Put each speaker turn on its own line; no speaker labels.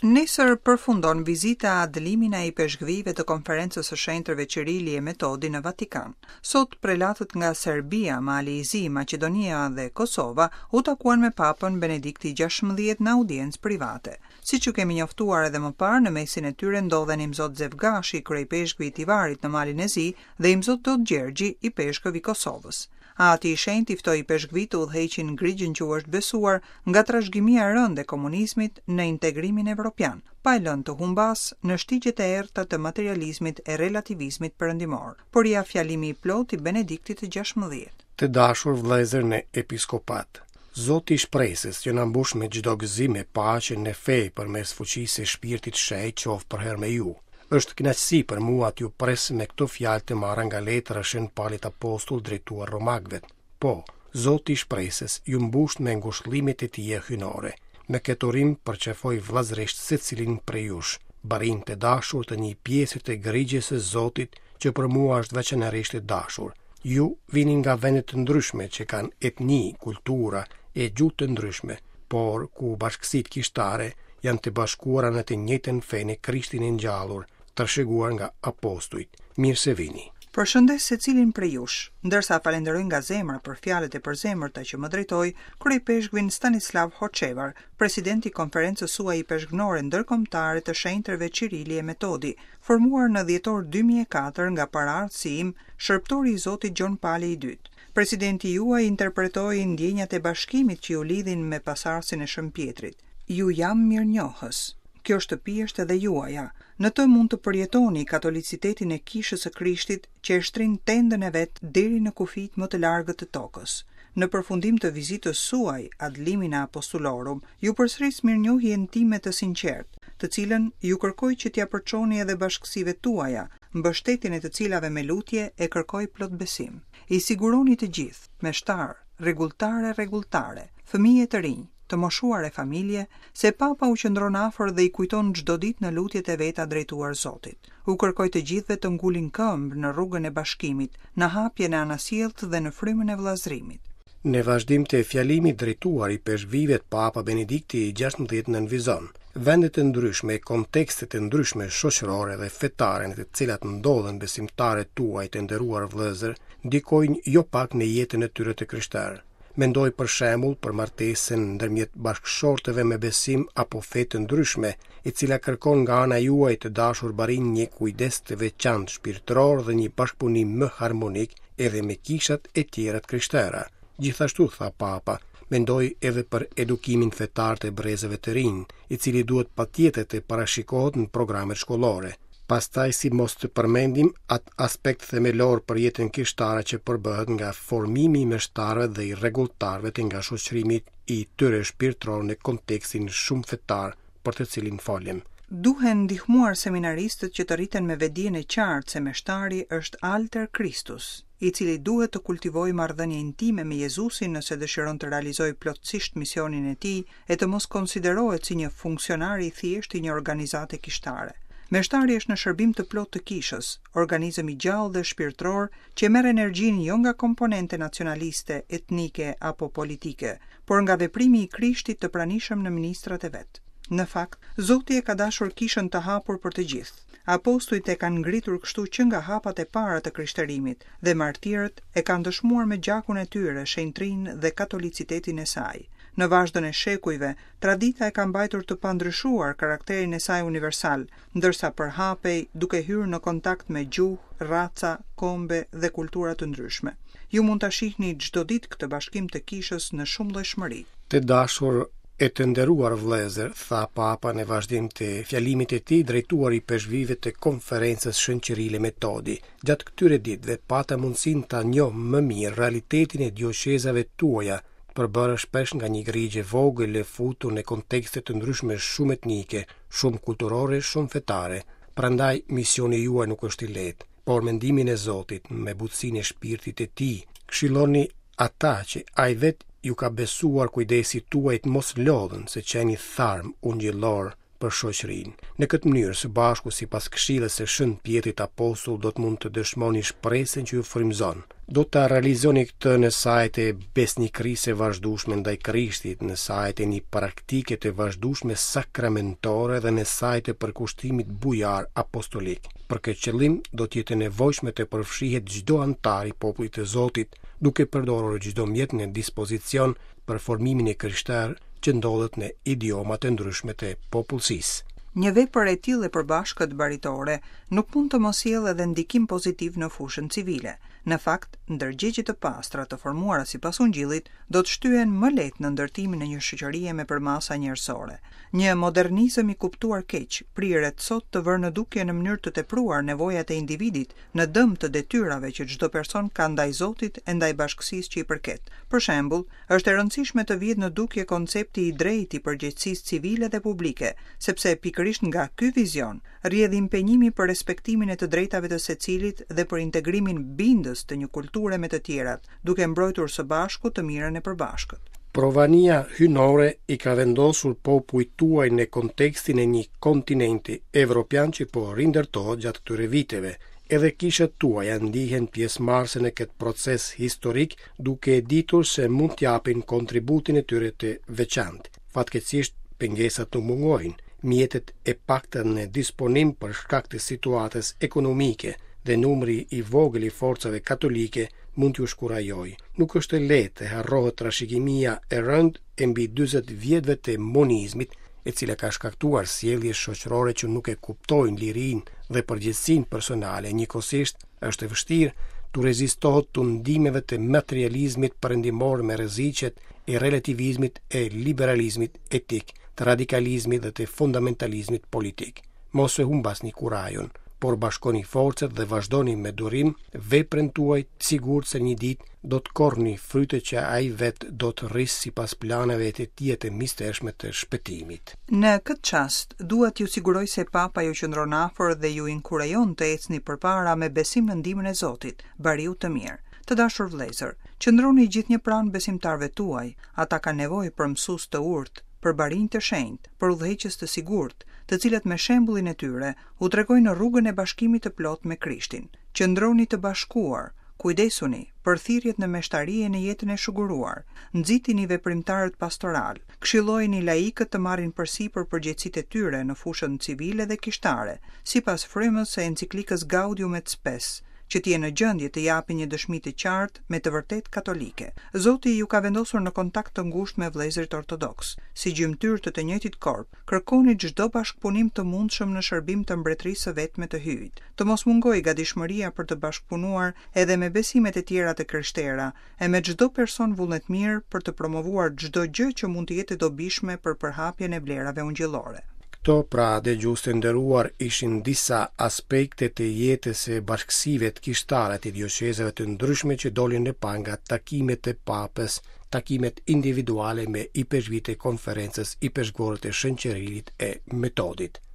Nesër përfundon vizita ad limina e ipeshkvijve të Konferencës së Shenjtërve Qirili e Metodi në Vatikan. Sot prelatët nga Serbia, Mali i Zi, Maqedonia dhe Kosova u takuan me Papën Benedikti 16 në audiencë private. Siç ju kemi njoftuar edhe më parë, në mesin e tyre ndodhen Imzot Zef Gashi, kryeipeshkvi i Tivarit në Malin e Zi dhe Imzot Dodë Gjergji, ipeshkëv i Kosovës. Ati i Shenjtë i ftoi ipeshkvijtë të udhëheqin grigjën që u është besuar nga trashëgimia e rëndë e komunizmit në integrimin evropian, pa e lënë të humbasë në shtigjet e errëta të materializmit e relativizmit perëndimor. Por ja fjalimi i plotë i Benediktit të 16.
Të dashur vëllezër në episkopat, Zoti i shpresës që na mbush me çdo gëzim e paqe në fe përmes fuqisë së Shpirtit Shenjt qoftë përherë me ju. Është kënaqësi për mua t'ju pres me këto fjalë të marra nga letra e Shën Palit Apostull drejtuar Romakëve. Po, Zoti i shpresës ju mbushtë me ngushëllimet e tija hyjnore. Me këtë urim përqafoj vëllazërisht secilin prej jush, barinj të dashur të një pjese të grigjës së Zotit që për mua është veçanërisht e dashur. Ju vini nga vende të ndryshme që kanë etni, kultura e gjuhë të ndryshme, por ku bashkësitë kishtare janë të bashkuara në të njëjtën fe në Krishtin e ngjallur, trashëguar nga apostujt. Mirë se vini.
Përshëndes secilin prej jush, ndërsa falenderoj nga zemra për fjalët e përzemërta që më drejtoi kryeipeshkvin Stanislav Hoçevar, president i Konferencës suaj Ipeshkvnore Ndërkombëtare të Shenjtërve Qirili e Metodi, formuar në dhjetor 2004 nga paraardhësi im, shërbëtori i Zotit Gjon Pali i Dytë. Presidenti juaj interpretoi ndjenjat e bashkimit që ju lidhin me pasardhësin e Shën Pjetrit. Ju jam mirënjohës. Kjo shtëpi është edhe juaja. Në të mund të përjetoni katolicitetin e Kishës së Krishtit që e shtrin tendën e vet deri në kufijtë më të largët të tokës. Në përfundim të vizitës suaj ad limina apostulorum, ju përsëris mirënjohjen time të sinqertë, të cilën ju kërkoj që t'ia përçoni edhe bashkësive tuaja, mbështetjen e të cilave me lutje e kërkoj plot besim. I siguroni të gjithë, meshtarë, rregulltarë e rregulltare, fëmijë e të rinj, të moshuar e familje, se Papa u qëndron afër dhe i kujton çdo ditë në lutjet e veta drejtuar Zotit. U kërkoj të gjithëve të ngulin këmbë në rrugën e bashkimit, në hapjen e anasjelltë dhe në frymën e vëllazërimit.
Në vazhdim të fjalimit drejtuar ipeshkvijve Papa Benedikti i 16 nënvizon, Vendet e ndryshme, kontekstet e ndryshme shoqërore dhe fetare në të cilat ndodhen besimtarët tuaj të nderuar vëllezër, ndikojnë jo pak në jetën e tyre të krishterë. Mendoj për shembull për martesën ndërmjet bashkëshortëve me besim apo fe të ndryshme, e cila kërkon nga ana juaj të dashur barinj një kujdes të veçantë shpirtëror dhe një bashkëpunim më harmonik edhe me kishat e tjera të krishtera. Gjithashtu, tha Papa, mendoj edhe për edukimin fetar të brezave të rinj, i cili duhet patjetër të parashikohet në programet shkollore. Pastaj si mos të përmendim atë aspekt themelor për jetën kishtare që përbëhet nga formimi i meshtarëve dhe i rregulltarëve të nga shoqërimi i tyre shpirtëror në kontekstin shumëfetar për të cilin folim.
Duhen ndihmuar seminaristët që të rriten me vetëdijen e qartë se meshtari është alter Christus, i cili duhet të kultivojë marrëdhënie intime me Jezusin nëse dëshiron të realizojë plotësisht misionin e tij e të mos konsiderohet si një funksionar i thjeshtë i një organizate kishtare. Meshtari është në shërbim të plotë të kishës, organizëm i gjallë dhe shpirtëror që e merr energjinë jo nga komponente nacionaliste, etnike apo politike, por nga veprimi i Krishtit të pranishëm në ministrat e vet. Në fakt, Zoti e ka dashur kishën të hapur për të gjithë. Apostujt e kanë ngritur kështu që nga hapat e para të krishterimit dhe martirët e kanë dëshmuar me gjakun e tyre shenjtërinë dhe katolicitetin e saj. Në vazhdën e shekujve, tradita e ka mbajtur të pandryshuar karakterin e saj universal, ndërsa përhapej duke hyrë në kontakt me gjuhë, raca, kombe dhe kultura të ndryshme. Ju mund ta shihni çdo ditë këtë bashkim të kishës në shumëllojshmëri.
Të dashur e të nderuar vëllezër, tha Papa në vazhdim të fjalimit të tij drejtuar ipeshkvijve të Konferencës Shën Qiril e Metodi. Gjatë këtyre ditëve pata mundësinë ta njoh më mirë realitetin e dioqezave tuaja, të përbërë shpesh nga një grigjë e vogël e futur në kontekste të ndryshme shumetnike, shumëkulturore, shumëfetare. Prandaj misioni juaj nuk është i lehtë, por me ndihmën e Zotit, me butësinë e shpirtit të tij, këshilloni ata që ai vetë ju ka besuar kujdesit tuaj të mos lodhen së qeni tharm ungjillor. për shoqërinë. Në këtë mënyrë, së bashku sipas këshillës së Shën Pjetrit Apostull do të mund të dëshmoni shpresën që ju frymëzon. Do ta realizoni këtë në saje të besnikërisë së vazhdueshme ndaj Krishtit, në saje të një praktike të vazhdueshme sakramentore dhe në saje të përkushtimit bujar apostolik. Për këtë qëllim do të jetë e nevojshme të përfshihet çdo anëtar i popullit të Zotit, duke përdorur çdo mjet në dispozicion për formimin e krishterë që ndodhet në idiomat e ndryshme të popullsisë.
Një vepër e tillë e përbashkët baritore nuk mund të mos sjellë edhe ndikim pozitiv në fushën civile. Në fakt, ndërgjegje të pastra të formuara sipas Ungjillit do të shtyhen më lehtë në ndërtimin e një shoqërie me përmasa njerëzore. Një modernizëm i kuptuar keq priret sot të vërë në dukje në mënyrë të tepruar nevojat e individit në dëm të detyrave që çdo person ka ndaj Zotit e ndaj bashkësisë që i përket. Për shembull, është e rëndësishme të vihet në dukje koncepti i drejtë i përgjegjësisë civile dhe publike, sepse pikërisht nga ky vizion rrjedh impenjimi për respektimin e të drejtave të secilit dhe për integrimin bindës të një kulture me të tjerat, duke mbrojtur së bashku të mirën e përbashkët.
Provania hyjnore i ka vendosur popujt tuaj në kontekstin e një kontinenti evropian që po rindërtohet gjatë këtyre viteve. Edhe kishat tuaja ndihen pjesëmarrëse në këtë proces historik, duke e ditur se mund të japin kontributin e tyre të veçantë. Fatkeqësisht, pengesat nuk mungojnë, mjetet e pakta në disponim për shkak të situatës ekonomike dhe numri i vogël i forcave katolike mund t'ju shkurajojë. Nuk është e lehtë të harrohet trashëgimia e rëndë e mbi 40 vjetëve të monizmit, e cila ka shkaktuar sjellje shoqërore që nuk e kuptojnë lirinë dhe përgjegjësinë personale, njëkohësisht është e vështirë t'u rezistohet tundimeve të materializmit perëndimor me rreziqet e relativizmit e liberalizmit etik, të radikalizmit dhe të fundamentalizmit politik. Mos e humbasni kurajon, por bashkoni forcat dhe vazhdoni me durim veprën tuaj të sigurt se një ditë do të korrni frytet që ai vetë do të rrisë sipas planeve të tij të mistershme të shpëtimit.
Në këtë çast, dua t'ju siguroj se Papa ju qëndron afër dhe ju inkurajon të ecni përpara me besim në ndihmën e Zotit, bariut të mirë. Të dashur vëllezër, qëndroni gjithnjë pranë besimtarëve tuaj, ata kanë nevojë për mësues të urtë, për barinj të shenjtë, për udhëheqës të sigurt, të cilët me shembullin e tyre u tregojnë rrugën e bashkimit të plotë me Krishtin. Qëndroni të bashkuar, kujdesuni për thirrjet në meshtari e në jetën e shuguruar, nxitini veprimtarët pastoralë, këshillojini laikët të marrin përsipër përgjegjësitë e tyre në fushën civile dhe kishtare, sipas frymës së enciklikës Gaudium et Spes, që të jenë në gjendje të japin një dëshmi të qartë me të vërtetë katolike. Zoti ju ka vendosur në kontakt të ngushtë me vëllezërit ortodoksë. Si gjymtyrë të të njëjtit korp, kërkoni çdo bashkëpunim të mundshëm në shërbim të mbretërisë së vetme të Hyjit. Të mos mungojë gatishmëria për të bashkëpunuar edhe me besimet e tjera të krishtera e me çdo person vullnetmirë për të promovuar çdo gjë që mund të jetë e dobishme për përhapjen e vlerave ungjillore.
Këto, pra, dëgjues të nderuar, ishin disa aspekte të jetës së bashkësive kishtare të dioqezave të ndryshme që dolën në pah nga takimet e Papës, takimet individuale me ipeshkvijtë e Konferencës Ipeshkvore të Shën Qirilit e Metodit.